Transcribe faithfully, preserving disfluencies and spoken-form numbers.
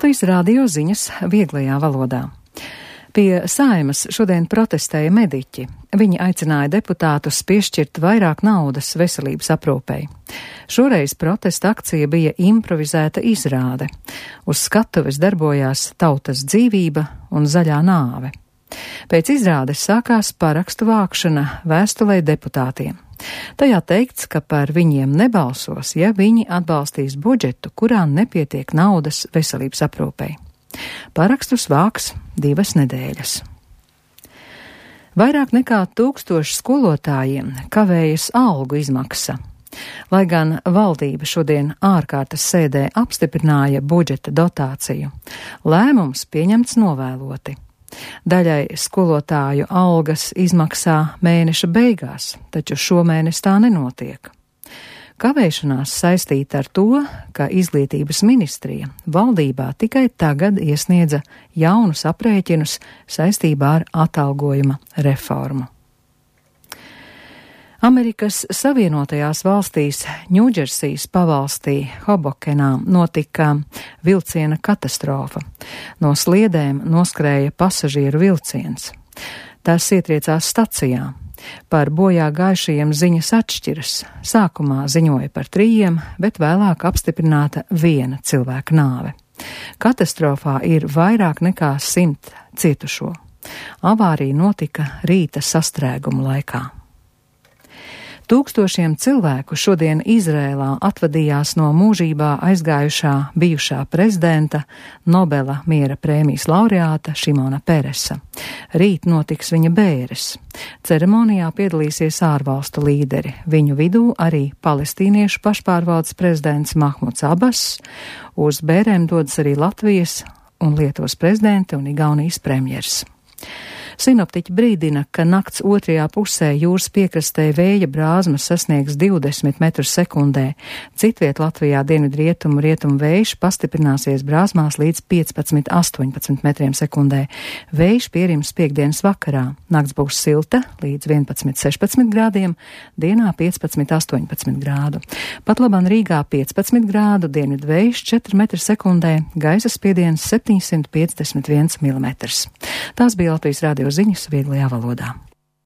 Latvijas radio ziņas vieglajā valodā. Pie Saeimas šodien protestēja mediķi. Viņi aicināja deputātus piešķirt vairāk naudas veselības aprūpei. Šoreiz protesta akcija bija improvizēta izrāde. Uz skatuves darbojās Tautas dzīvība un zaļā nāve. Pēc izrādes sākās parakstu vākšana vēstulē deputātiem. Tajā teikts, ka par viņiem nebalsos, ja viņi atbalstīs budžetu, kurā nepietiek naudas veselības aprūpei. Parakstus vāks divas nedēļas. Vairāk nekā tūkstoši skolotājiem kavējas algu izmaksa. Lai gan valdība šodien ārkārtas sēdē apstiprināja budžeta dotāciju, lēmums pieņemts novēloti. Daļai skolotāju algas izmaksā mēneša beigās, taču šomēnes tā nenotiek. Kavēšanās saistīta ar to, ka Izglītības ministrija valdībā tikai tagad iesniedza jaunus aprēķinus saistībā ar atalgojuma reformu. Amerikas Savienotajās valstīs Ņūdžersijas pavalstī Hobokenā notika vilciena katastrofa. No sliedēm noskrēja pasažieru vilciens. Tas ietriecās stacijā. Par bojā gājušajiem ziņas atšķiras. Sākumā ziņoja par trījiem, bet vēlāk apstiprināta viena cilvēka nāve. Katastrofā ir vairāk nekā simt cietušo. Avārija notika rīta sastrēguma laikā. Tūkstošiem cilvēku šodien Izrēlā atvadījās no mūžībā aizgājušā bijušā prezidenta, Nobela miera prēmijas laureāta Šimona Peresa. Rīt notiks viņa bēres. Ceremonijā piedalīsies ārvalstu līderi, viņu vidū arī palestīniešu pašpārvaldes prezidents Mahmuds Abas, uz bērēm dodas arī Latvijas un Lietuvas prezidenti un Igaunijas premjers. Sinoptiķi brīdina, ka nakts otrajā pusē jūras piekrastē vēja brāzmas sasniegs divdesmit metrus sekundē. Citviet Latvijā dienvidrietumu rietumu vējš pastiprināsies brāzmās līdz piecpadsmit līdz astoņpadsmit metriem sekundē. Vējš pierims piekdienas vakarā. Nakts būs silta līdz vienpadsmit līdz sešpadsmit grādiem, dienā piecpadsmit līdz astoņpadsmit grādu. Pat labam Rīgā piecpadsmit grādu, dienvidu vējš četri metri sekundē, gaisa spiediens septiņsimt piecdesmit viens milimetrs. Tās bija Latvijas radio ziņas vieglajā valodā.